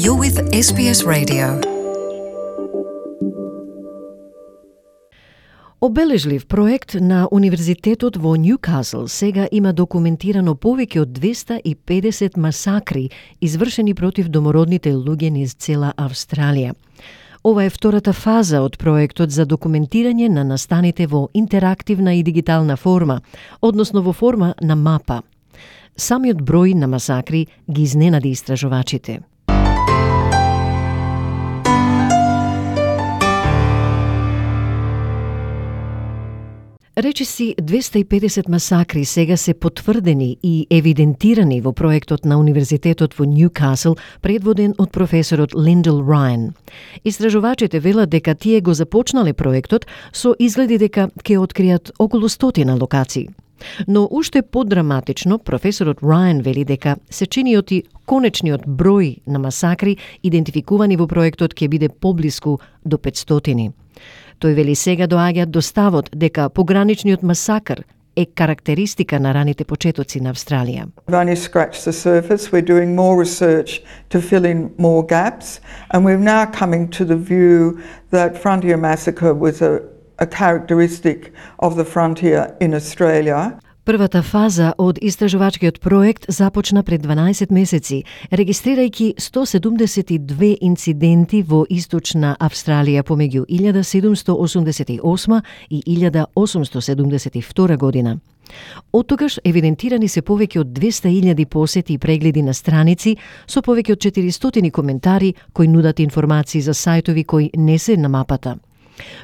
You're with SBS Radio. Обележлив проект на Универзитетот во Нјукасл сега има документирано повеќе од 250 масакри извршени против домородните луѓе низ цела Австралија. Ова е втората фаза од проектот за документирање на настаните во интерактивна и дигитална форма, односно во форма на мапа. Самиот број на масакри ги изненади истражувачите. Речиси 250 масакри сега се потврдени и евидентирани во проектот на Универзитетот во Нјукасл, предводен од професорот Линдел Рајан. Истражувачите велат дека тие го започнале проектот со изгледи дека ќе откријат околу 100 локации. Но уште подраматично, професорот Рајан вели дека сечениот и конечниот број на масакри идентификувани во проектот ќе биде поблиску до 500. Тој вели сега доаѓаат до ставот дека пограничниот масакр е карактеристика на раните почетоци на Австралија. We've only scratched the surface. We're doing more research to fill in more gaps, and we're now coming to the view that Frontier Massacre was a characteristic of the frontier in Australia. Првата фаза од истражувачкиот проект започна пред 12 месеци, регистрирајќи 172 инциденти во Источна Австралија помеѓу 1788 и 1872 година. Од тогаш евидентирани се повеќе од 200.000 посети и прегледи на страници со повеќе од 400 коментари кои нудат информации за сајтови кои не се на мапата.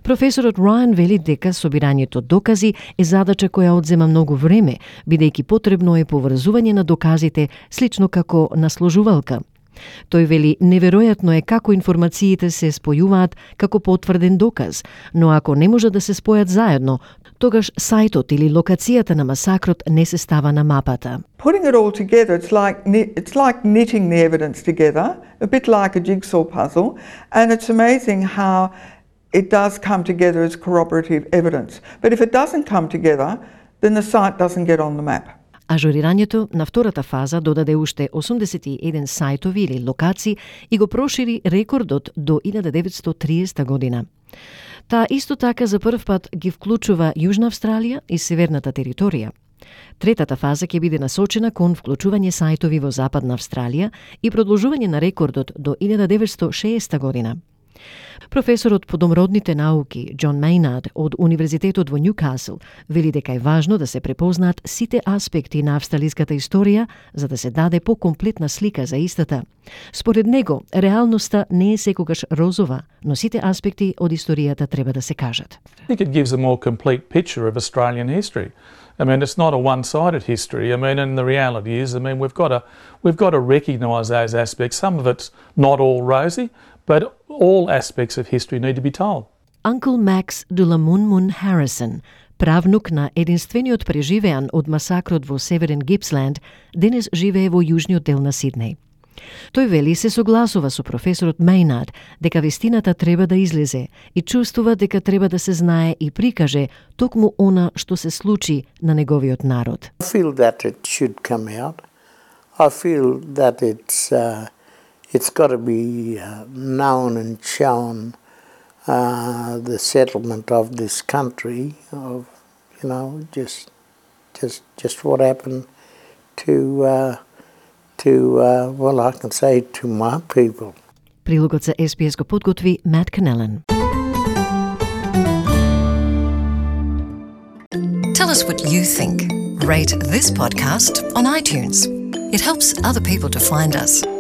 Професорот Рајан вели дека собирањето докази е задача која одзема многу време, бидејќи потребно е поврзување на доказите, слично како на сложувалка. Тој вели неверојатно е како информациите се спојуваат како потврден доказ, но ако не можат да се спојат заедно, тогаш сајтот или локацијата на масакрот не се става на мапата. Putting it all together, it's like knitting the evidence together, a bit like a jigsaw puzzle, and it's amazing how it does come together as corroborative evidence. But if it doesn't come together, then the site doesn't get on the map. Ажурирањето на втората фаза додаде уште 81 сајтови или локации и го прошири рекордот до 1930 година. Таа исто така за прв пат ги вклучува Јужна Австралија и Северната територија. Третата фаза ќе биде насочена кон вклучување сајтови во Западна Австралија и продолжување на рекордот до 1960 година. Професорот по домородните науки Џон Мејнард од Универзитетот во Нјукасл вели дека е важно да се препознаат сите аспекти на австралиската историја за да се даде покомплетна слика за истата. Според него, реалноста не е секогаш розова, но сите аспекти од историјата треба да се кажат. I think it gives a more complete picture of Australian history. I mean, it's not a one-sided history. I mean, and the reality is, we've got to recognise those aspects. Some of it's not all rosy, but all aspects of history need to be told. Uncle Max Dulamunmun Harrison, правнук на единствениот преживеан од масакрот во Северен Гипсленд, денес живее во јужниот дел на Сиднеј. Тој вели се согласува со професорот Мејнард дека вистината треба да излезе и чувствува дека треба да се знае и прикаже токму она што се случи на неговиот народ. I feel that it should come out. I feel that it's got to be known and shown the settlement of this country of just what happened to well, I can say to my people. Прилогот за SBS го подготви Matt Canellan. Tell us what you think. Rate this podcast on iTunes. It helps other people to find us.